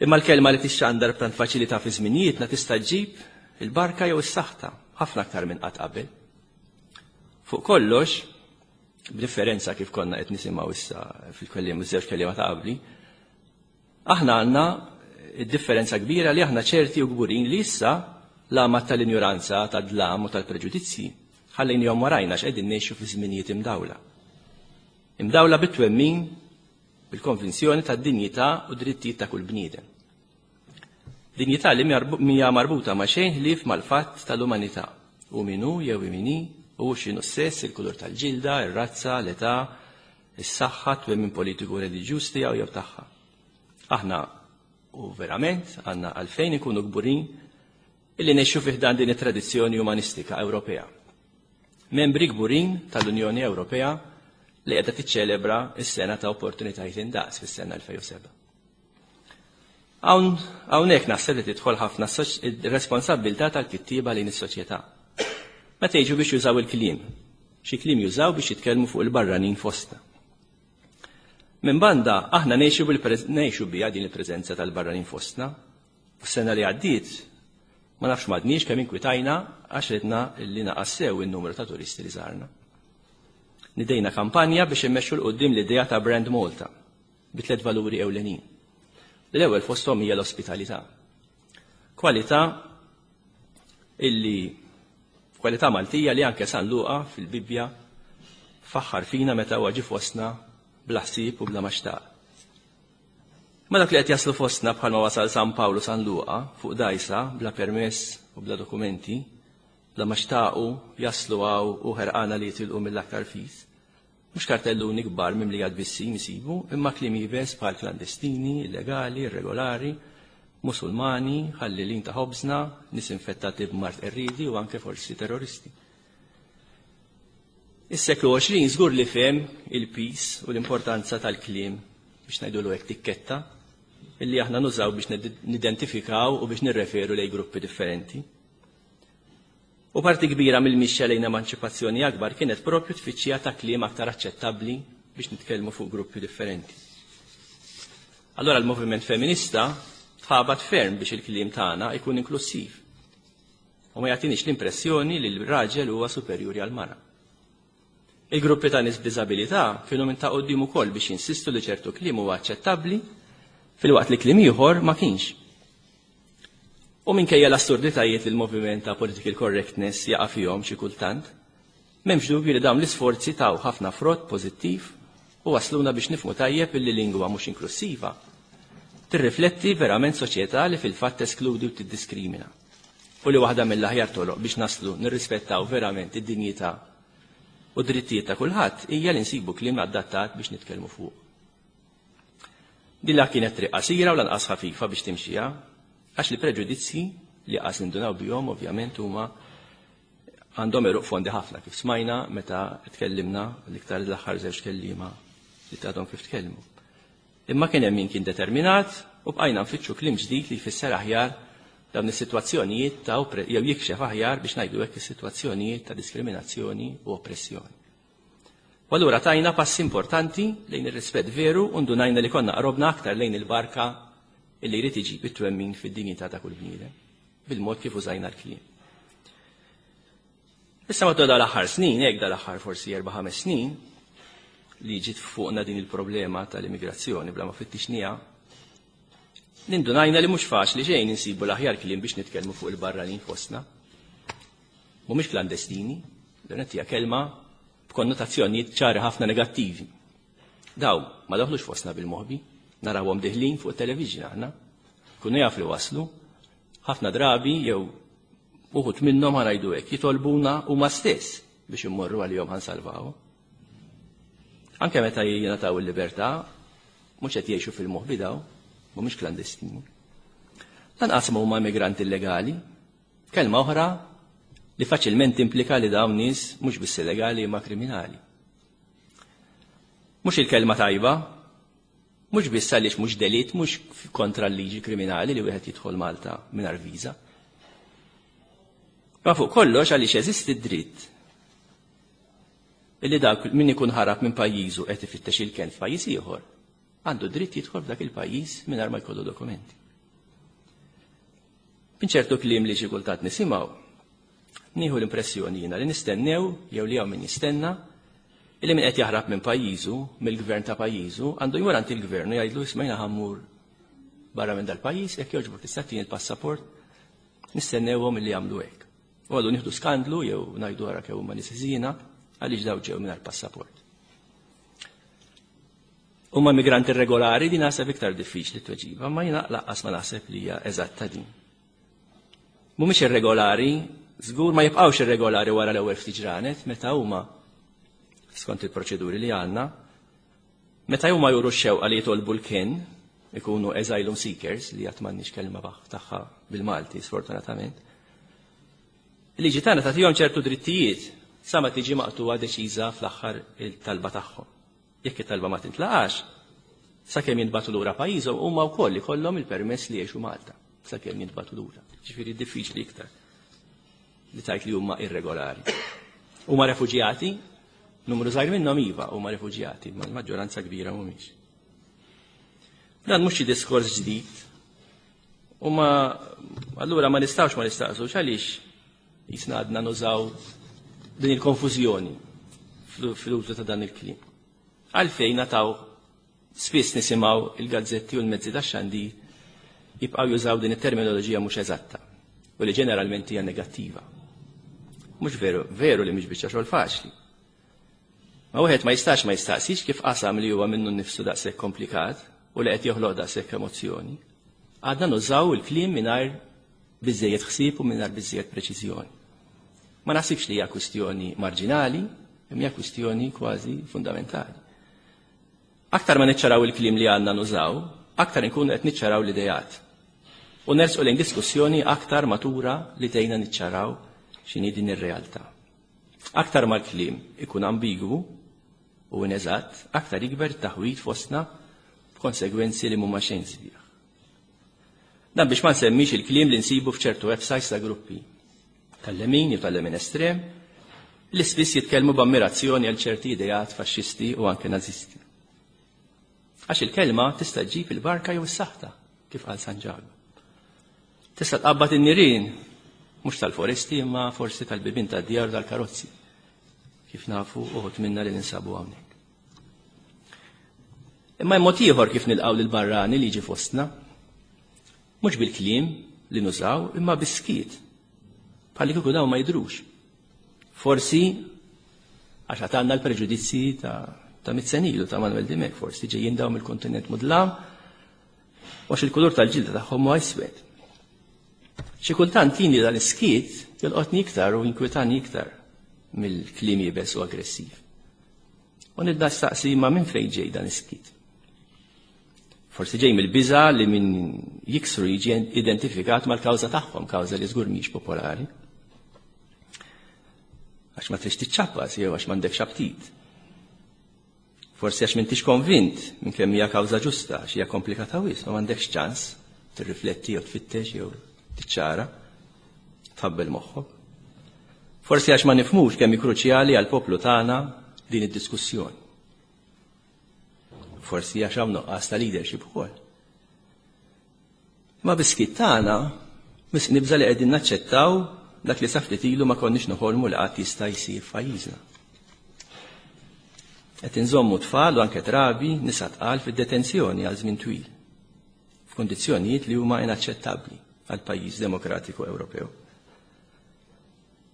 Imma l-kelma li tixxandar b'tant faċilità fi żminijietna tista' ġġib il-barka jew is-saħta ħafna aktar minn qatt qabel. Fuq kollox, b'differenza kif konna qed nisimgħu issa fil-kelliem iż-żewġ kelliema ta' qabli, aħna għandna id-differenza kbira li aħna ċerti u kburin li issa l-għamad tal-injuranza, tad-dlam u tal-preġudizzji ħallejnihom warajna x'qegħdin ngħixu fi żminijiet imdawla. Imdawla bit-twemmin bil-konvinzjoni tad-dinjità u drittijiet ta' kull bniedem. Dinjità li mija marbuta ma' xejn ħlief mal-fatt tal-umanità, u min hu jew min hi, u x'inhu s-sess, il-kulur tal-ġilda, ir-razza, l-età, is-saħħa, twemmin politiku reliġjuż tiegħu jew tagħha. Aħna u verament għandna għalfejn ikunu kburin illi ngħixu fi ħdan din it-tradizzjoni umanistika Ewropea. Membri kburin tal-Unjoni Ewropea li qiegħda tiċċelebra s-sena ta' opportunitajiet indaqs fis-sena elfejn u seba'. Hawnhekk naħseb li tidħol ħafna r-responsabbiltà tal-kittieba lejn is-soċjetà. Meta jiġu biex jużaw il-kliem, xi kliem jużaw biex jitkellmu fuq il-barranin fostna. Minn banda aħna ngħixu ngħixu biha din il-preżenza tal-barranin fostna. U s-sena li għaddiet ma nafx m'għadniex kemm inkwitajna għax ridna li naqas sew in-numru ta' turisti li żarna. Nidejna kampanja biex immexxu 'l quddiem l-idea ta' Brand Malta bi tliet valuri ewlenin. L-ewwel fosthom hija l-ospitalità. Kwalità illi kwalità Maltija li anke San Luqa fil-Bibbja faħħar fina meta huwa ġie fostna bla ħsieb u bla ma xtaq. Ma dak li qed jaslu fostna bħalma wasal San Pawlu San Luqa fuq dajsa bla permess u bla dokumenti, bla ma xtaqu jaslu hawn u ħerqana li jitilqu mill-aktar fis. Mhux kartelluni kbar mimlija tbissim isibu, imma kliem iebes bħal klandestini, illegali, irregolari, Musulmani, ħallilin ta' ħobżna, nies infettati b'mard qerriedi u anke forsi terroristi. Is-seklu għoxrin żgur li fehem il-pis u l-importanza tal-kliem biex ngħidulu hekk tikketta illi aħna nużaw biex nidentifikaw u biex nirreferu lej gruppi differenti. U parti kbira mill-mixja lejn emanċipazzjoni akbar kienet propju tfittxija ta' kliem aktar aċċettabbli biex nitkellmu fuq gruppi differenti. Allora l-moviment femminista tħabat ferm biex il-kliem tagħna ikun inklusiv u ma jagħtinix l-impressjoni li l-raġel huwa superjuri għall-mara. Il-gruppi ta' nies b'diżabilità kienu minn ta' quddiem ukoll biex jinsistu li ċertu kliem huwa aċċettabbli filwaqt li kliem ieħor ma kienx. U minkejja l-assurditajiet li l-moviment ta' political correctness jaqa' fihom xi kultant, m'hemmx dubju li dawn l-isforzi taw ħafna frott pożittiv u wasluna biex nifhmu tajjeb illi lingwa mhux inklusiva tirrifletti verament soċjetà li fil-fatt teskludi u tiddiskrimina. U li waħda mill-aħjar toroq biex naslu nirrispettaw verament id-dinjità u drittijiet ta' kulħadd hija li nsibu kliem adattat biex nitkellmu fuq. Din la kienet triq qasira u lanqas ħafifa biex timxiha, għax li preġudizzji li qas nindunaw bihom ovvjament huma għandhom għeruq fondi ħafna kif smajna meta tkellimna l-iktar l-aħħar żewġ kelliema li tgħadhom kif tkellmu. Imma kien hemm min kien determinat u bqajna nfittxu kliem ġdid li jfisser aħjar dawn is-sitwazzjonijiet ta' jew jikxef aħjar biex ngħidu hekk is-sitwazzjonijiet ta' diskriminazzjoni u oppressjoni. U allura tajna passi importanti lejn ir-rispett veru u ndunajna li konna qrobna aktar lejn il-barka illi jrid iġib it-twemmin fid-dinjità ta' kull bniedem, bil-mod kif użajna l-kliem. Issa matul dal-aħħar snin, hekk dal-aħħar forsi erba' ħames snin, li ġiet fuqna din il-problema tal-immigrazzjoni bla ma fittixniha, nindunajna li mhux faċli xejn insibu l-aħjar kliem biex nitkellmu fuq il-barranin fostna. Mhumiex klandestini, L-ewwel hija kelma b'konnotazzjonijiet ċari ħafna negattivi. Daw ma daħlux fostna bil-moħbi, narawhom deħlin fuq it-television aħna. Kunu jaf li waslu, ħafna drabi jew uħud minnhom ħa ngħidu hekk jitolbuna huma stess biex immorru għalihom ħa nsalvaw. Anke meta jingħataw il-libertà, mhux qed jgħixu fil-moħbi daw, mhumiex klandestini. Lanqas ma huma immigranti illegali, kelma oħra li faċilment implika li dawn nies mhux biss illegali imma kriminali. Mhux il-kelma tajba, mhux biss għaliex mhux delitt, mhux kontra l-liġi kriminali li wieħed jidħol Malta mingħajr viża. Ma fuq kollox għaliex jeżisti dritt illi dak min ikun ħarab minn pajjiżu qed ifittex il-kenn f'pajjiż ieħor, għandu dritt jidħol f'dak il-pajjiż mingħajr ma jkollu dokumenti. Minn ċertu kliem li xi kultant nisimgħu, nieħu l-impressjoni jiena li nistennew jew li hawn min jistenna illi min qed jaħrab minn pajjiżu, mill-gvern ta' pajjiżu, għandu jmur għand il-gvern u jgħidlu isma' jiena ħa mmur barra minn dal-pajjiż, jekk jogħġbok tista' tini l-passaport, nistennewhom illi jagħmlu hekk. U għadu nieħdu skandlu jew ngħidu ara kemm huma nies ħżiena għaliex daw ġew mingħajr passaport. Huma migranti irregolari din naħseb iktar diffiċli tweġiba, ma jiena lanqas ma naħseb li hija eżatta din. Mhumiex irregolari, żgur ma jibqgħux irregolari wara l-ewwel ftit ġranet meta huma skont il-proċeduri li għandna, meta huma juru x-xewqa li jitolbu l-kenn, ikunu asylum seekers, li għad m'għandniex kelma tagħha bil-Malti, sfortunatament. Il-liġi tagħna tagħtihom ċertu drittijiet sa ma tiġi maqtuwa deċiża fl-aħħar il-talba tagħhom. Jekk it-talba ma tintlaqax, sakemm jintbagħtu lura pajjiżhom huma wkoll ikollhom il-permess li jgħixu Malta, sakemm jintbagħtu lura. Ġifieri diffiċli iktar li tgħid li huma irregolari. Huma refuġjati, numru żgħir minnhom iva huma refuġjati, ma l-maġġoranza kbira mhumiex. Dan mhux xi diskors ġdid. U ma allura ma nistgħux ma nistaqsux għaliex jisna għadna nużaw din il-konfużjoni fl-użu ta' dan il-kliem. Għalfejn nataw spiss nisimgħu il-gazzetti u l-mezzi tax-xandir jibqgħu jużaw din it-terminoloġija mhux eżatta u li ġeneralment hija negattiva. Mhux veru, veru li mhix biċċa xogħol faċli. Ma wieħed ma jistax ma jistaqsix kif qasam li huwa minnu nnifsu daqshekk komplikat u li qed joħloq daqshekk emozzjoni. Għadna nużaw il-kliem mingħajr biżejjed ħsieb u mingħajr biżejjed preċiżjoni. Ma naħsibx li hija kwistjoni marġinali, imma hija kwistjoni kważi fundamentali. Aktar ma niċċaraw il-kliem li għandna nużaw, aktar inkunu qed niċċaraw l-idejat. U nersqu lejn diskussjoni aktar matura li tgħinna niċċaraw x'inhi din ir-realtà. Aktar ma l-kliem ikun ambigwu u ineżatt, aktar jikber taħwid fostna b'konsegwenzi li mhuma xejn sbieħ. Dan biex ma nsemmix il-kliem li nsibu f'ċertu websites ta' gruppi tal-lemin jew tal-lemin estrem li spiss jitkellmu b'ammirazzjoni għal ċerti ideat faxxisti u anke nazisti. Għax il-kelma tista' ġġib il-barka jew is-saħta, kif qal San Ġakbu. Tista' tqabbad in-nirien, mhux tal-foresti imma forsi tal-bibien tad-djar u tal-karozzi, kif nafu uħud minna li ninsabu hawnhekk. Imma hemm mod ieħor kif nilqgħu lil barrani li jiġi fostna, mhux bil-kliem li nużaw imma bis-skiet. Bħalli kieku dawn ma jidhrux. Forsi għax għandna l-preġudizzi ta' ta' mitt sena ilu ta' Manuel Dimech, forsi ġejjin dawn mill-kontinent mudlam, għax il-kulur tal-ġilda tagħhom huwa iswed. Xi kultant jien dan is-skiet jolqotni iktar u jinkwitani iktar mill-kliem iebes u aggressiv. U nibda staqsi ma minn fejn ġej dan is-skiet. Forsi ġej mill-biża li min jiksru jiġi identifikat mal-kawża tagħhom, kawża li żgur mhix popolari. Għax ma trix tiċċappas jew għax m'għandekx aptit. Forsi għax m'intix konvint minn kemm hija kawża ġusta, għax hija komplikata wisq, ma m'għandekx ċans tirrifletti jew tfittex jew tiċċara, tħabbel moħħok. Forsi għax ma nifhmux kemm hi kruċjali għall-poplu tagħna din id-diskussjoni. Forsi għax hawn nuqqas ta' leadership ukoll. Ma bis-skiet tagħna nibża li qegħdin naċċettaw dak li sa ftit ilu ma konniex noħolmu li qatt jista' jsir f'pajjiżna. Qed inżommu tfal u anke trabi nisa tqal fid-detenzjoni għal żmien twil, f'kondizzjonijiet li huma inaċċettabbli għal pajjiż demokratiku Ewropew.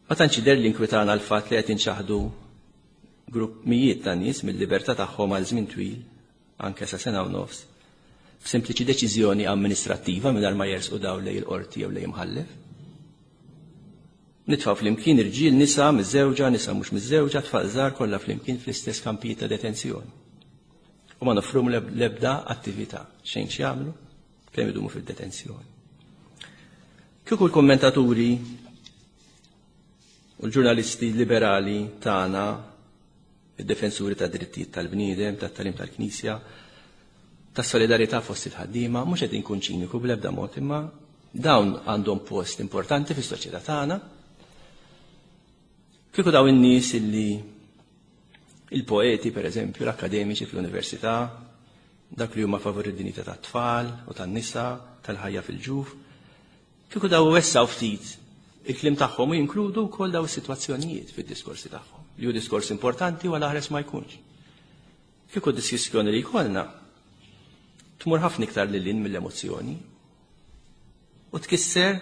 Ma tantx jidher li nkwitana l-fatt li qed inċaħdu grupp mijiet ta' nies mill-libertà tagħhom għal żmien twil, anke sa sena u nofs, b'sempliċi deċiżjoni amministrattiva mingħajr ma jersqu dawn lejn il-qorti jew lejn imħallef. Nitfgħu flimkien irġiel, nisa miżżewġa, nisa mhux miżżewġa, tfal żgħar kollha flimkien fl-istess kampijiet ta' detenzjoni. U ma nofrum l-ebda attività, xejn x'jagħmlu, kemm idumu fid-detenzjoni. Kieku l-kommentaturi u l-ġurnalisti liberali tagħna, id-defensuri ta' drittijiet tal-bniedem, tat-tagħlim tal-Knisja, tas-solidarità fost il-ħaddiema, mhux qed inkun ċiniku bl-ebda mod, imma dawn għandhom post importanti fis-soċjetà tagħna. Kieku dawn in-nies illi il-poeti, per eżempju, l-akademiċi fl-università, dak li huma favur id-dinjità tat-tfal u tan-nisa, tal-ħajja fil-ġuf, kieku daw wessaw ftit il-kliem tagħhom u jinkludu wkoll daw is-sitwazzjonijiet fid-diskorsi tagħhom, li hu diskors importanti u għal ma jkunx. Kieku diskussjoni li jkollna tmur ħafna iktar lil hinn mill-emozzjoni u tkisser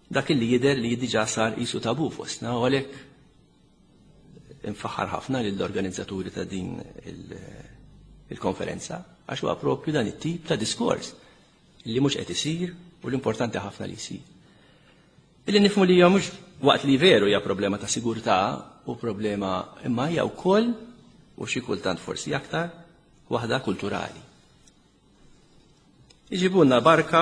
dak li jidher li diġà sar qisu tabu fostna u għalhekk infaħħar ħafna lill-organizzaturi ta' din il-konferenza għax huwa propju dan it-tip ta' diskors li mhux qed isir u l-importanti ħafna li jsir. Illi nifhmu li hija mhux waqt li veru hija problema ta' sigurtà u problema imma hija wkoll u xi kultant forsi aktar waħda kulturali. Iġibulna barka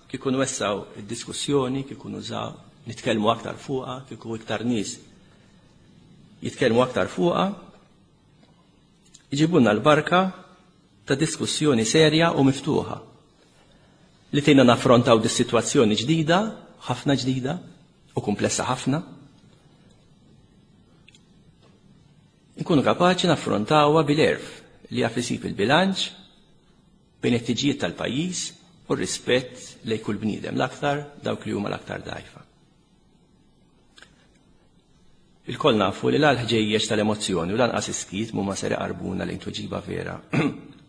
kieku nwessaw id-diskussjoni, kieku nużaw nitkellmu aktar fuqha, kieku iktar nies jitkellmu aktar fuqha, iġibulna l-barka ta' diskussjoni serja u miftuħa li tgħinna naffrontaw dis-sitwazzjoni ġdida, ħafna ġdida u komplessa ħafna. Nkunu kapaċi naffrontawha bil-għerf li jaf isib il-bilanċ bejn it-tiġijiet tal-pajjiż u r-rispett lejn kull bniedem, l-aktar dawk li huma l-aktar dgħajfa. Il-koll nafu li l-ħġejjeġ tal-emozzjoni u lanqas iskiet mhuma ser iqarbuna lejn tweġiba vera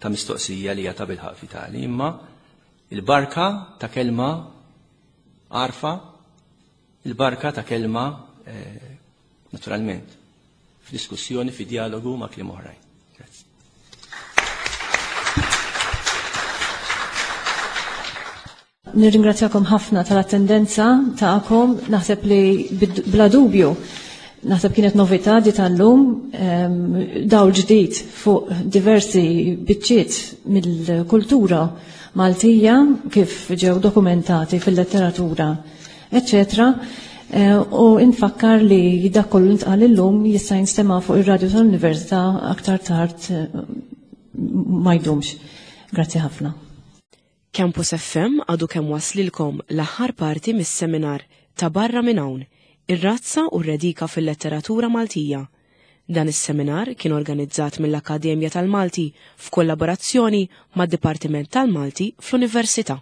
ta' mistoqsija li hija ta' bilħaq vitali, imma il-barka ta' kelma għarfa, il-barka ta' kelma eh, naturalment f'diskussjoni, fi dialogu ma' kliem oħrajn. Grazzi. Nirringrazzjakom ħafna tal-attendenza tagħkom, naħseb li bla dubju naħseb kienet novità di tal-lum, dawl ġdid fuq diversi biċċiet mill-kultura Maltija kif ġew dokumentati fil-letteratura, eccetera. U infakkar li dak kollu ntqal illum jista' jinstema' fuq ir-radju tal-Università aktar tard ma jdumx. Grazzi ħafna. Campus F M għadu kemm waslilkom l-aħħar parti mis-seminar ta' Barra minn hawn, ir-razza u r-redika fil-letteratura Maltija. Dan is-seminar kien organizzat mill-Akkademja tal-Malti f'kollaborazzjoni mad-Dipartiment tal-Malti fl-Università.